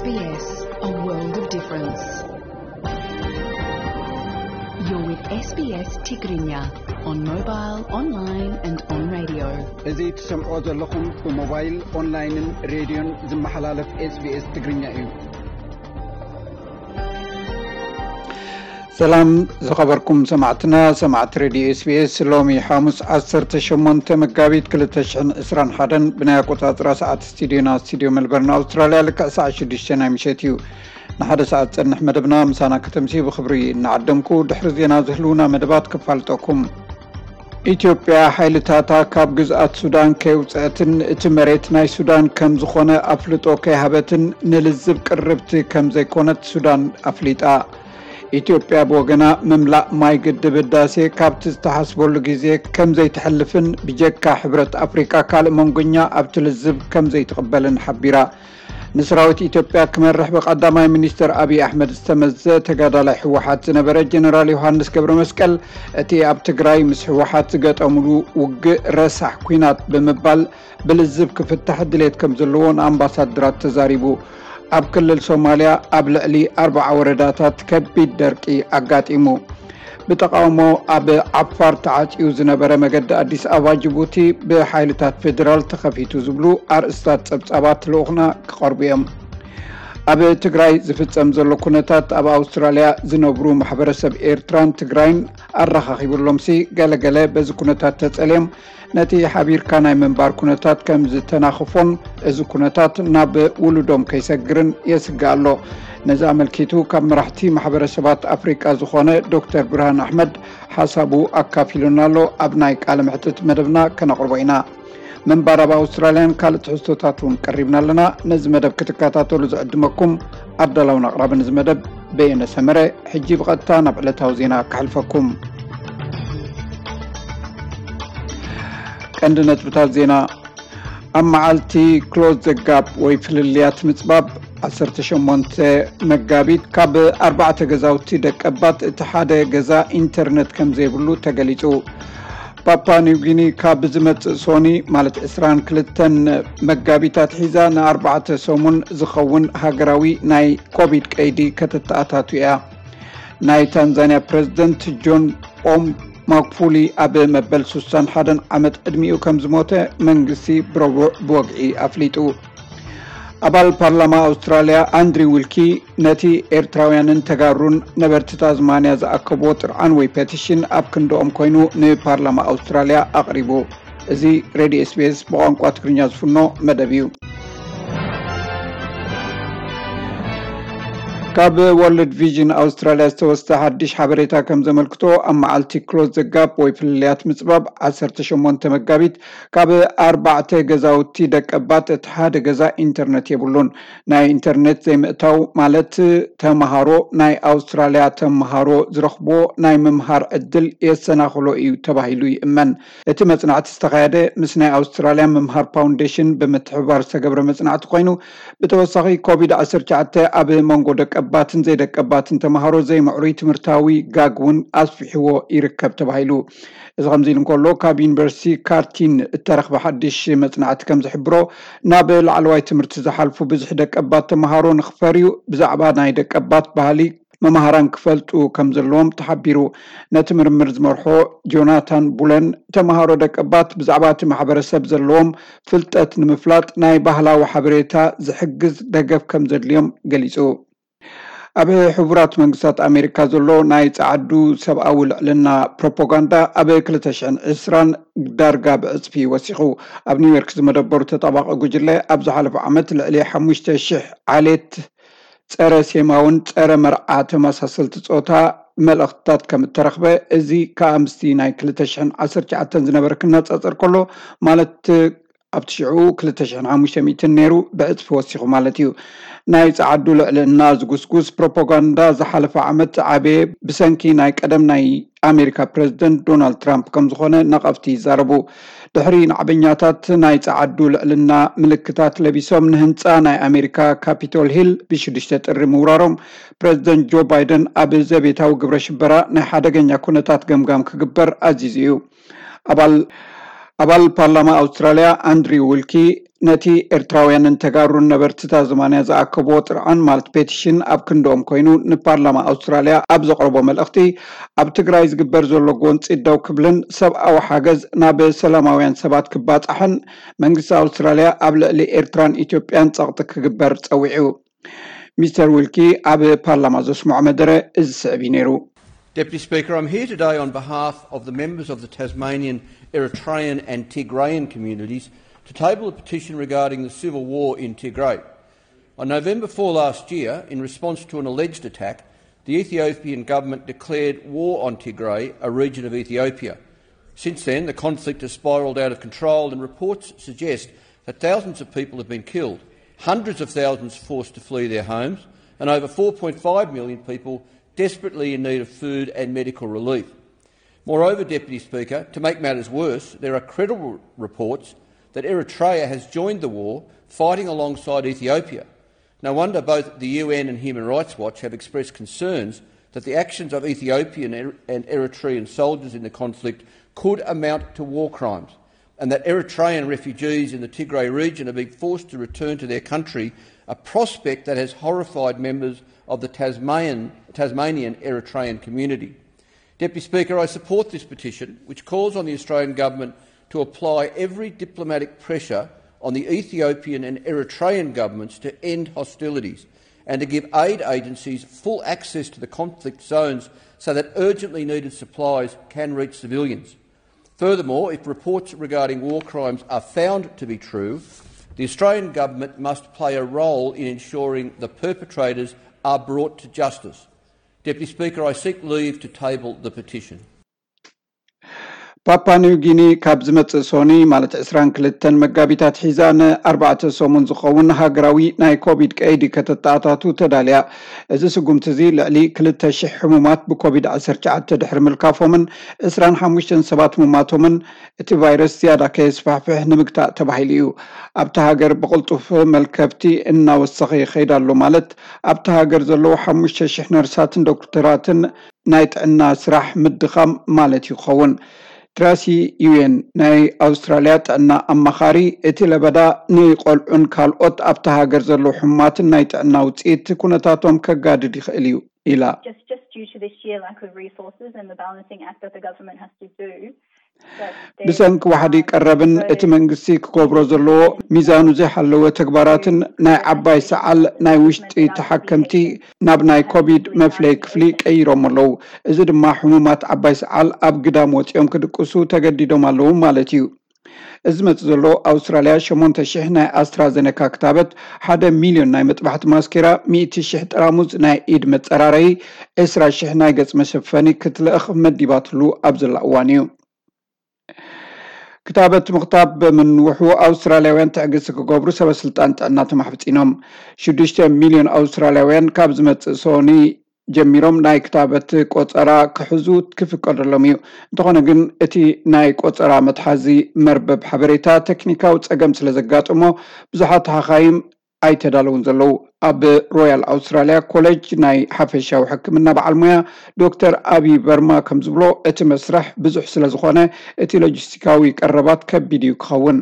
S B S, a world of difference. You're with S B S Tigrinya on mobile, online and on radio. እዚ ትሰምዖ ዘለኹም ብሞባይል፣ ኦንላይንን ሬድዮን ዝመሓላለፍ S B S ትግርኛ እዩ። ሰላም ዝኸበርኩም ሰማዕትና፣ ሰማዕቲ ሬድዮ S B S፣ ሎሚ ሓሙስ ዓሰርተ ሸሞንተ መጋቢት ክልተ ሽሕን ዕስራን ሓደን ብናይ ኣቆጻጽራ ሰዓት ስቱዲዮና፣ ስቱዲዮ ሜልበርን ኣውስትራልያ፣ ልክዕ ሰዓት ሽዱሽተ ናይ ምሸት እዩ። ንሓደ ሰዓት ጸንሕ መደብና ምሳና ከተምሲ ብኽብሪ እናዓደምኩ፣ ድሕሪ ዜና ዝህልውና መደባት ክፋልጠኩም። ኢትዮጵያ ሓይልታታ ካብ ግዝኣት ሱዳን ከየውፅአትን እቲ መሬት ናይ ሱዳን ከም ዝኾነ ኣፍልጦ ከይሃበትን ንልዝብ ቅርብቲ ከም ዘይኮነት ሱዳን ኣፍሊጣ። ኢትዮጵያ ብወገና ምምላእ ማይ ግድብ ህዳሴ ካብቲ ዝተሓስበሉ ግዜ ከም ዘይትሕልፍን ብጀካ ሕብረት ኣፍሪቃ ካልእ መንጎኛ ኣብቲ ልዝብ ከም ዘይትቕበልን ሓቢራ። ንሰራዊት ኢትዮጵያ ክመርሕ ብቀዳማይ ሚኒስትር ኣብይ ኣሕመድ ዝተመዘ ተጋዳላይ ህወሓት ዝነበረ ጀነራል ዮሃንስ ገብረ መስቀል፣ እቲ ኣብ ትግራይ ምስ ህወሓት ዝገጠምሉ ውግእ ረሳሕ ኲናት ብምባል ብልዝብ ክፍታሕ ድሌት ከም ዘለዎ ንኣምባሳደራት ተዛሪቡ። ኣብ ክልል ሶማልያ ኣብ ልዕሊ ኣርብዓ ወረዳታት ከቢድ ደርቂ ኣጋጢሙ። ብተቓውሞ ኣብ ዓፋር ተዓጽዩ ዝነበረ መገዲ ኣዲስ ኣበባ ጅቡቲ ብሓይልታት ፌደራል ተኸፊቱ ዝብሉ ኣርእስታት ጸብጻባት ልኡኽና ክቐርቡ እዮም። ኣብ ትግራይ ዝፍጸም ዘሎ ኩነታት ኣብ ኣውስትራልያ ዝነብሩ ማሕበረሰብ ኤርትራን ትግራይን ኣረኻኺብሎምሲ፣ ገለገለ በዚ ኩነታት ተጸልዮም ነቲ ሓቢርካ ናይ ምንባር ኩነታት ከም ዝተናኽፎን እዚ ኩነታት ናብ ውሉዶም ከይሰግርን የስግእ ኣሎ። ነዚ ኣመልኪቱ ካብ መራሕቲ ማሕበረሰባት ኣፍሪቃ ዝኾነ ዶክተር ብርሃን ኣሕመድ ሓሳቡ ኣካፊሉና ኣሎ። ኣብ ናይ ቃለ መሕትት መደብና ከነቕርቦ ኢና። ምንባር ኣብ ኣውስትራልያን ካልእ ትሕዝቶታት እውን ቀሪብና ኣለና። ነዚ መደብ ክትከታተሉ ዝዕድመኩም ኣዳላውን ኣቕራብን እዚ መደብ በየነ ሰመረ። ሕጂ ብቐጥታ ናብ ዕለታዊ ዜና ከሕልፈኩም። ቀንዲ ነጥብታት ዜና። ኣብ መዓልቲ ክሎዝ ዘጋፕ ወይ ፍልልያት ምጽባብ ዓሰርተ ሸሞንተ መጋቢት ካብ ኣርባዕተ ገዛውቲ ደቀባት እቲ ሓደ ገዛ ኢንተርነት ከም ዘይብሉ ተገሊጹ። ፓፓ ኒው ጊኒ ካብ ዝመጽእ ሶኒ ማለት ዕስራን ክልተን መጋቢት ኣትሒዛ ንኣርባዕተ ሰሙን ዝኸውን ሃገራዊ ናይ ኮቪድ ቀይዲ ከተተኣታቱ እያ። ናይ ታንዛንያ ፕረዚደንት ጆን ፖም ማጉፉሊ ኣብ መበል ሱሳን ሓደን ዓመት ዕድሚኡ ከም ዝሞተ መንግስቲ ብረቡዕ ብወግዒ ኣፍሊጡ። ኣባል ፓርላማ ኣውስትራልያ ኣንድሪው ዊልኪ ነቲ ኤርትራውያንን ተጋሩን ነበርቲ ታዝማንያ ዝኣከብዎ ጥርዓን ወይ ፔቲሽን ኣብ ክንድኦም ኮይኑ ንፓርላማ ኣውስትራልያ ኣቕሪቡ። እዚ ሬድዮ S B S ብቋንቋ ትግርኛ ዝፍኖ መደብ እዩ። ካብ ወርልድ ቪዥን ኣውስትራልያ ዝተወስደ ሓድሽ ሓበሬታ ከም ዘመልክቶ፣ ኣብ መዓልቲ ክሎዝ ዘጋፕ ወይ ፍልልያት ምጽባብ ዓሰርተ ሸሞንተ መጋቢት ካብ ኣርባዕተ ገዛውቲ ደቀባት እቲ ሓደ ገዛ ኢንተርነት የብሉን። ናይ ኢንተርኔት ዘይምእታው ማለት ተምሃሮ ናይ ኣውስትራልያ ተምሃሮ ዝረኽብዎ ናይ ምምሃር ዕድል የሰናኽሎ እዩ ተባሂሉ ይእመን። እቲ መጽናዕቲ ዝተኻየደ ምስ ናይ ኣውስትራልያ ምምሃር ፋውንዴሽን ብምትሕብባር ዝተገብረ መጽናዕቲ ኮይኑ፣ ብተወሳኺ ኮቪድ ዓሰርተ ትሽዓተ ኣብ መንጎ ደቀባትን ዘይደቀባትን ተምሃሮ ዘይምዕሩይ ትምህርታዊ ጋግ እውን ኣስፊሕዎ ይርከብ ተባሂሉ። እዚ ከምዚ ኢሉ እንከሎ፣ ካብ ዩኒቨርሲቲ ካርቲን እተረኽበ ሓድሽ መጽናዕቲ ከም ዝሕብሮ፣ ናብ ላዕለዋይ ትምህርቲ ዝሓልፉ ብዙሕ ደቀባት ተምሃሮ ንኽፈርዩ ብዛዕባ ናይ ደቀባት ባህሊ መምሃራን ክፈልጡ ከም ዘለዎም ተሓቢሩ። ነቲ ምርምር ዝመርሖ ጆናታን ቡለን፣ ተምሃሮ ደቀባት ብዛዕባ እቲ ማሕበረሰብ ዘለዎም ፍልጠት ንምፍላጥ ናይ ባህላዊ ሓበሬታ ዝሕግዝ ደገፍ ከም ዘድልዮም ገሊጹ። ኣብ ሕቡራት መንግስታት ኣሜሪካ ዘሎ ናይ ጸዓዱ ሰብኣዊ ልዕልና ፕሮፓጋንዳ ኣብ ክልተ ሽሕን ዕስራን ዳርጋ ብዕጽፊ ወሲኹ። ኣብ ኒውዮርክ ዝመደበሩ ተጣባቒ ጉጅለ ኣብ ዝሓለፈ ዓመት ልዕሊ ሓሙሽተ ሽሕ ዓሌት ጸረ ሴማውን ጸረ መርዓ ተመሳሰልቲ ጾታ መልእኽትታት ከም እተረኽበ፣ እዚ ከኣ ምስቲ ናይ ክልተ ሽሕን ዓሰርተ ትሽዓተን ዝነበረ ክነጻጸር ከሎ፣ ማለት ኣብቲ ሽዑ ክልተ ሽሕን ሓሙሽተ ሚእትን ነይሩ፣ ብዕጽፊ ወሲኹ ማለት እዩ። ናይ ጸዓዱ ልዕልና ዝጉስጉስ ፕሮፓጋንዳ ዝሓለፈ ዓመት ዝዓበየ ብሰንኪ ናይ ቀደም ናይ ኣሜሪካ ፕረዚደንት ዶናልድ ትራምፕ ከም ዝኾነ ነቐፍቲ ይዛረቡ። ድሕሪ ናዕበኛታት ናይ ጸዓዱ ልዕልና ምልክታት ለቢሶም ንህንጻ ናይ ኣሜሪካ ካፒቶል ሂል ብሽዱሽተ ጥሪ ምውራሮም፣ ፕረዚደንት ጆ ባይደን ኣብ ዘቤታዊ ግብረ ሽበራ ናይ ሓደገኛ ኩነታት ገምጋም ክግበር ኣዚዙ እዩ። ኣባል ኣባል ፓርላማ ኣውስትራልያ ኣንድሪው ዊልኪ ነቲ ኤርትራውያንን ተጋሩን ነበርቲ ታዝማንያ ዝኣከብዎ ጥርዓን ማለት ፔቲሽን ኣብ ክንድኦም ኮይኑ ንፓርላማ ኣውስትራልያ ኣብ ዘቕረቦ መልእኽቲ፣ ኣብ ትግራይ ዝግበር ዘሎ ጎንፂ ደው ክብልን ሰብኣዊ ሓገዝ ናብ ሰላማውያን ሰባት ክባፃሕን መንግስቲ ኣውስትራልያ ኣብ ልዕሊ ኤርትራን ኢትዮጵያን ጸቕጢ ክግበር ጸዊዑ። ሚስተር ዊልኪ ኣብ ፓርላማ ዘስምዖ መደረ እዚ ስዕብ እዩ ነይሩ። Deputy Speaker, I'm here today on behalf of the members of the Tasmanian, Eritrean and Tigrayan communities to table a petition regarding the civil war in Tigray. On November four last year, in response to an alleged attack, the Ethiopian government declared war on Tigray, a region of Ethiopia. Since then, the conflict has spiralled out of control, and reports suggest that thousands of people have been killed, hundreds of thousands forced to flee their homes, and over four point five million people desperately in need of food and medical relief. Moreover, Deputy Speaker, to make matters worse, there are credible reports that Eritrea has joined the war, fighting alongside Ethiopia. No wonder both the U N and Human Rights Watch have expressed concerns that the actions of Ethiopian and Eritrean soldiers in the conflict could amount to war crimes, and that Eritrean refugees in the Tigray region are being forced to return to their country, a prospect that has horrified members of the Tasmanian, Tasmanian Eritrean community. Deputy Speaker, I support this petition, which calls on the Australian Government to apply every diplomatic pressure on the Ethiopian and Eritrean governments to end hostilities and to give aid agencies full access to the conflict zones so that urgently needed supplies can reach civilians. Furthermore, if reports regarding war crimes are found to be true, the Australian government must play a role in ensuring the perpetrators are brought to justice. Deputy Speaker, I seek leave to table the petition. ፓፓ ኒው ጊኒ ካብ ዝመጽእ ሶኒ ማለት ዕስራን ክልተን መጋቢት ኣትሒዛ ንኣርባዕተ ሰሙን ዝኸውን ሃገራዊ ናይ ኮቪድ ቀይዲ ከተተኣታቱ ተዳልያ። እዚ ስጉምቲ እዚ ልዕሊ ክልተ ሽሕ ሕሙማት ብኮቪድ ዓሰርተ ትሽዓተ ድሕሪ ምልካፎምን ዕስራን ሓሙሽተን ሰባት ምማቶምን እቲ ቫይረስ ዝያዳ ከየስፋሕፍሕ ንምግታእ ተባሂሉ እዩ። ኣብቲ ሃገር ብቕልጡፍ መልከፍቲ እናወሰኸ ይኸይድ ኣሎ ማለት ኣብቲ ሃገር ዘለዉ ሓሙሽተ ሽሕ ነርሳትን ዶክተራትን ናይ ጥዕና ስራሕ ምድኻም ማለት ይኸውን። ትራሲ ዩኤን ናይ ኣውስትራልያ ጥዕና ኣማኻሪ እቲ ለበዳ ንቆልዑን ካልኦት ኣብቲ ሃገር ዘለዉ ሕሙማትን ናይ ጥዕና ውፅኢት ኩነታቶም ከጋድድ ይኽእል እዩ ኢላ። Just, just due to this sheer lack of resources and the balancing act that the government has to do, ብሰንኪ ዋሕዲ ቀረብን እቲ መንግስቲ ክገብሮ ዘለዎ ሚዛኑ ዘይሓለወ ተግባራትን ናይ ዓባይ ሰዓል ናይ ውሽጢ ተሓከምቲ ናብ ናይ ኮቪድ መፍለይ ክፍሊ ቀይሮም ኣለዉ። እዚ ድማ ሕሙማት ዓባይ ሰዓል ኣብ ግዳም ወፂኦም ክድቅሱ ተገዲዶም ኣለዉ ማለት እዩ። እዚ መጽእ ዘሎ ኣውስትራልያ ሸሞንተ ሽሕ ናይ ኣስትራዘነካ ክታበት፣ ሓደ ሚልዮን ናይ መጥባሕቲ ማስኬራ፣ ሚእቲ ሽሕ ጠራሙዝ ናይ ኢድ መጸራረዪ፣ ዕስራ ሽሕ ናይ ገጽ መሸፈኒ ክትልእኽ መዲባትሉ ኣብ ዘላ እዋን እዩ። ክታበት ምኽታብ ብምንውሑ ኣውስትራልያውያን ትዕግስቲ ክገብሩ ሰበ ስልጣን ጥዕና ተማሕጺኖም። ሽዱሽተ ሚልዮን ኣውስትራልያውያን ካብ ዝመጽእ ሶኒ ጀሚሮም ናይ ክታበት ቆጸራ ክሕዙ ክፍቀደሎም እዩ። እንተኾነ ግን እቲ ናይ ቆጸራ መትሓዚ መርበብ ሓበሬታ ተክኒካዊ ጸገም ስለ ዘጋጠሞ ብዙሓት ሓኻይም ኣይተዳለውን ዘለዉ። ኣብ ሮያል ኣውስትራልያ ኮሌጅ ናይ ሓፈሻዊ ሕክምና በዓል ሞያ ዶክተር ኣቢ በርማ ከም ዝብሎ እቲ መስርሕ ብዙሕ ስለ ዝኾነ እቲ ሎጂስቲካዊ ቀረባት ከቢድ እዩ ክኸውን።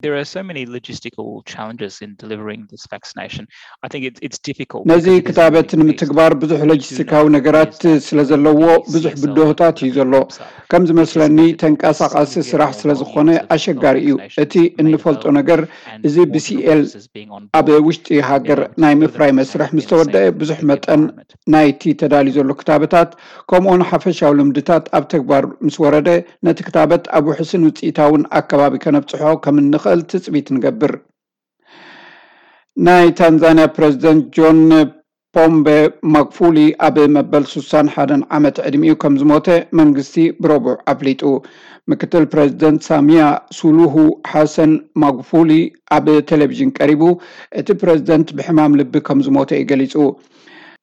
There are so many logistical challenges in delivering this vaccination. I think it's, it's difficult. ነዚ ክታበት ንምትግባር ብዙሕ ሎጂስቲካዊ ነገራት ስለ ዘለዎ ብዙሕ ብድሆታት እዩ ዘሎ። ከም ዝመስለኒ ተንቀሳቓሲ ስራሕ ስለ ዝኾነ ኣሸጋሪ እዩ። እቲ እንፈልጦ ነገር እዚ ብሲኤል ኣብ ውሽጢ ሃገር ናይ ምፍራይ መስርሕ ምስ ተወደአ ብዙሕ መጠን ናይቲ ተዳልዩ ዘሎ ክታበታት ከምኡውን ሓፈሻዊ ልምድታት ኣብ ተግባር ምስ ወረደ ነቲ ክታበት ኣብ ውሕስን ውፅኢታውን ኣከባቢ ከነብፅሖ ከም እንኽእል ትፅቢት ንገብር። ናይ ታንዛንያ ፕረዚደንት ጆን ፖምበ ማግፉሊ ኣብ መበል ሱሳን ሓደን ዓመት ዕድሚኡ ከም ዝሞተ መንግስቲ ብረቡዕ ኣፍሊጡ። ምክትል ፕረዚደንት ሳሚያ ሱሉሁ ሓሰን ማግፉሊ ኣብ ቴሌቪዥን ቀሪቡ እቲ ፕረዚደንት ብሕማም ልቢ ከም ዝሞተ እዩ ገሊጹ።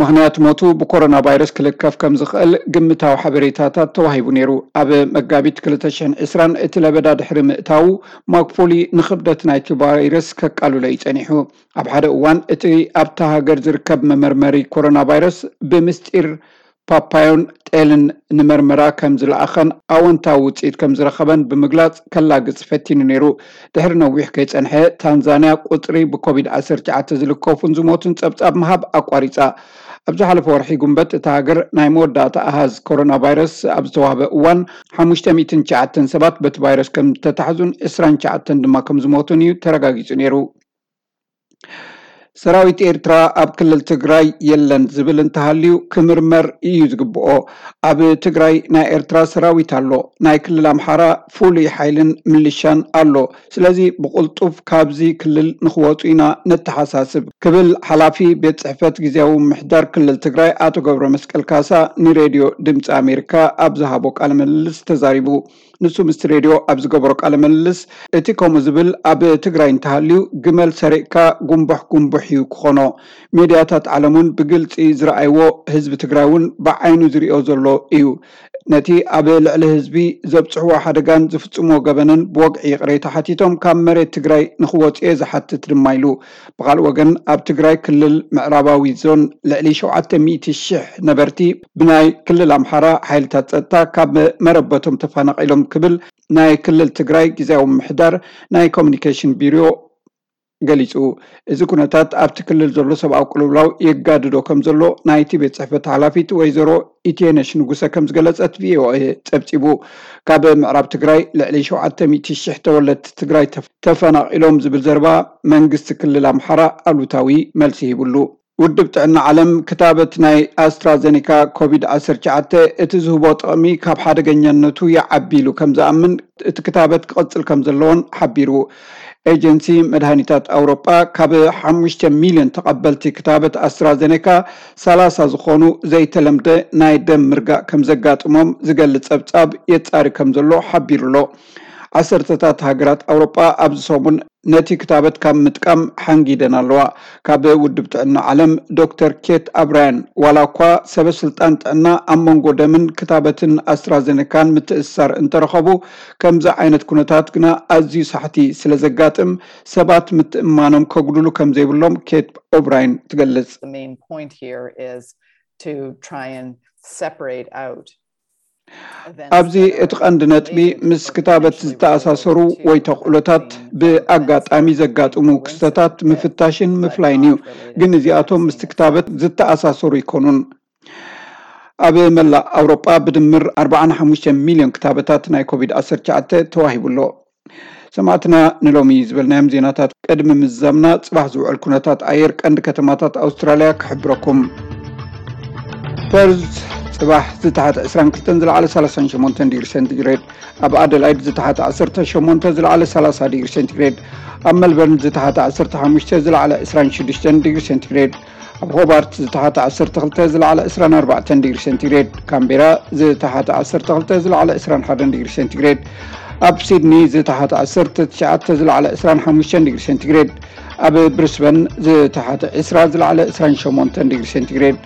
ምኽንያት ሞቱ ብኮሮና ቫይረስ ክልከፍ ከም ዝኽእል ግምታዊ ሓበሬታታት ተዋሂቡ ነይሩ። ኣብ መጋቢት ክልተ ሽሕን ዕስራን እቲ ለበዳ ድሕሪ ምእታዉ ማግፉሊ ንኽብደት ናይቲ ቫይረስ ከቃልሎ እዩ ጸኒሑ። ኣብ ሓደ እዋን እቲ ኣብታ ሃገር ዝርከብ መመርመሪ ኮሮና ቫይረስ ብምስጢር ፓፓዮን ጤልን ንመርመራ ከም ዝለኣኸን ኣወንታዊ ውፅኢት ከም ዝረኸበን ብምግላፅ ከላግፅ ፈቲኑ ነይሩ። ድሕሪ ነዊሕ ከይፀንሐ ታንዛንያ ቁፅሪ ብኮቪድ ዓሰርተ ትሽዓተ ዝልከፉን ዝሞቱን ፀብፃብ ምሃብ ኣቋሪፃ። ኣብ ዝሓለፈ ወርሒ ጉንበት እታ ሃገር ናይ መወዳእታ ኣሃዝ ኮሮና ቫይረስ ኣብ ዝተዋህበ እዋን ሓሙሽተ ሚእትን ትሽዓተን ሰባት በቲ ቫይረስ ከም ዝተታሕዙን ዕስራን ትሽዓተን ድማ ከም ዝሞቱን እዩ ተረጋጊፁ ነይሩ። ሰራዊት ኤርትራ ኣብ ክልል ትግራይ የለን ዝብል እንተሃልዩ ክምርመር እዩ ዝግብኦ። ኣብ ትግራይ ናይ ኤርትራ ሰራዊት ኣሎ፣ ናይ ክልል ኣምሓራ ፍሉይ ሓይልን ምልሻን ኣሎ። ስለዚ ብቕልጡፍ ካብዚ ክልል ንኽወፁ ኢና ነተሓሳስብ ክብል ሓላፊ ቤት ጽሕፈት ግዜያዊ ምሕዳር ክልል ትግራይ ኣቶ ገብረ መስቀል ካሳ ንሬድዮ ድምፂ ኣሜሪካ ኣብ ዝሃቦ ቃለ ምልልስ ተዛሪቡ። ንሱ ምስቲ ሬድዮ ኣብ ዝገበሮ ቃለ ምልልስ እቲ ከምኡ ዝብል ኣብ ትግራይ እንተሃልዩ ግመል ሰሪቕካ ጉንቡሕ ጉንቡሕ እዩ ክኾኖ። ሜድያታት ዓለም እውን ብግልፂ ዝረኣይዎ ህዝቢ ትግራይ እውን ብዓይኑ ዝሪኦ ዘሎ እዩ። ነቲ ኣብ ልዕሊ ህዝቢ ዘብፅሕዎ ሓደጋን ዝፍፅምዎ ገበንን ብወግዒ ይቕሬታ ሓቲቶም ካብ መሬት ትግራይ ንኽወፁ እየ ዝሓትት ድማ ኢሉ። ብኻልእ ወገን ኣብ ትግራይ ክልል ምዕራባዊ ዞን ልዕሊ ሸውዓተ ሚእቲ ሽሕ ነበርቲ ብናይ ክልል ኣምሓራ ሓይልታት ፀጥታ ካብ መረበቶም ተፈናቒሎም ክብል ናይ ክልል ትግራይ ግዜያዊ ምምሕዳር ናይ ኮሚኒኬሽን ቢሮ ገሊፁ። እዚ ኩነታት ኣብቲ ክልል ዘሎ ሰብኣዊ ቅልውላው የጋድዶ ከም ዘሎ ናይቲ ቤት ጽሕፈት ሓላፊት ወይዘሮ ኢቴነሽ ንጉሰ ከም ዝገለጸት ቪኦኤ ጸብጺቡ። ካብ ምዕራብ ትግራይ ልዕሊ ሸውዓተ ሚእቲ ሽሕ ተወለድቲ ትግራይ ተፍ-፣ ተፈናቒሎም ዝብል ዘረባ መንግስቲ ክልል ኣምሓራ ኣሉታዊ መልሲ ሂብሉ። ውድብ ጥዕና ዓለም ክታበት ናይ ኣስትራዘኒካ ኮቪድ ዓሰርተ ትሽዓተ እቲ ዝህቦ ጥቕሚ ካብ ሓደገኛነቱ ይዓቢ ኢሉ ከም ዝኣምን እቲ ክታበት ክቕጽል ከም ዘለዎን ሓቢሩ። ኤጀንሲ መድሃኒታት ኣውሮጳ ካብ ሓሙሽተ ሚልዮን ተቐበልቲ ክታበት ኣስትራዘኔካ ሰላሳ ዝኾኑ ዘይተለምደ ናይ ደም ምርጋእ ከም ዘጋጥሞም ዝገልጽ ጸብጻብ የጻሪ ከም ዘሎ ሓቢሩ ኣሎ። ዓሰርተታት ሃገራት ኣውሮጳ ኣብዚ ሰሙን ነቲ ክታበት ካብ ምጥቃም ሓንጊደን ኣለዋ። ካብ ውድብ ጥዕና ዓለም ዶክተር ኬት ኣብራያን፣ ዋላ እኳ ሰበ ስልጣን ጥዕና ኣብ መንጎ ደምን ክታበትን ኣስትራዘኔካን ምትእስሳር እንተረኸቡ፣ ከምዚ ዓይነት ኩነታት ግና ኣዝዩ ሳሕቲ ስለ ዘጋጥም ሰባት ምትእምማኖም ከጉድሉ ከም ዘይብሎም ኬት ኦብራይን ትገልጽ። The main point here is to try and separate out events ኣብዚ that are እቲ ቀንዲ ነጥቢ related ምስ or ክታበት potentially ዝተኣሳሰሩ related to ወይ ተኽእሎታት vaccine ብኣጋጣሚ influence ዘጋጥሙ that ክስተታት ምፍታሽን but ምፍላይን not እዩ። related ግን to እዚኣቶም vaccine ምስቲ ክታበት itself. ዝተኣሳሰሩ ኣይኮኑን። ኣብ መላእ ኣውሮጳ ብድምር ኣርባዓን ሓሙሽተ ሚልዮን ክታበታት ናይ ኮቪድ ዓሰርተ ትሽዓተ ተዋሂቡ ኣሎ። ሰማዕትና፣ ንሎሚ ዝበልናዮም ዜናታት ቅድሚ ምዛምና፣ ጽባሕ ዝውዕል ኩነታት ኣየር ቀንዲ ከተማታት ኣውስትራልያ ክሕብረኩም። ፐርዝ ጽባሕ ዝተሓተ ዕስራን ክልተን ዝለዓለ ሰላሳን ሸሞንተን ዲግሪ ሴንቲግሬድ፣ ኣብ ኣደላይድ ዝተሓተ ዓሰርተ ሸሞንተ ዝለዓለ ሰላሳ ዲግሪ ሴንቲግሬድ፣ ኣብ መልበርን ዝተሓተ ዓሰርተ ሓሙሽተ ዝለዓለ ዕስራን ሽዱሽተን ዲግሪ ሴንቲግሬድ፣ ኣብ ሆባርት ዝተሓተ ዓሰርተ ክልተ ዝለዓለ ዕስራን ኣርባዕተን ዲግሪ ሴንቲግሬድ፣ ካምቤራ ዝተሓተ ዓሰርተ ክልተ ዝለዓለ ዕስራን ሓደን ዲግሪ ሴንቲግሬድ፣ ኣብ ሲድኒ ዝተሓተ ዓሰርተ ትሽዓተ ዝለዓለ ዕስራን ሓሙሽተን ዲግሪ ሴንቲግሬድ፣ ኣብ ብሪስበን ዝተሓተ ዕስራ ዝለዓለ ዕስራን ሸሞንተን ዲግሪ ሴንቲግሬድ፣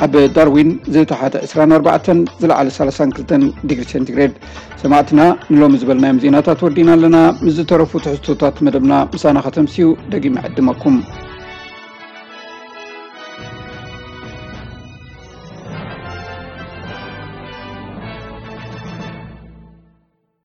ኣብ ዳርዊን ዝተሓተ ዕስራን ኣርባዕተን ዝለዓለ ሰላሳን ክልተን ዲግሪ ሴንቲግሬድ። ሰማዕትና፣ ንሎሚ ዝበልናዮም ዜናታት ወዲና ኣለና። ምስ ዝተረፉ ትሕዝቶታት መደብና ምሳና ከተምስዩ ደጊመ ዕድመኩም።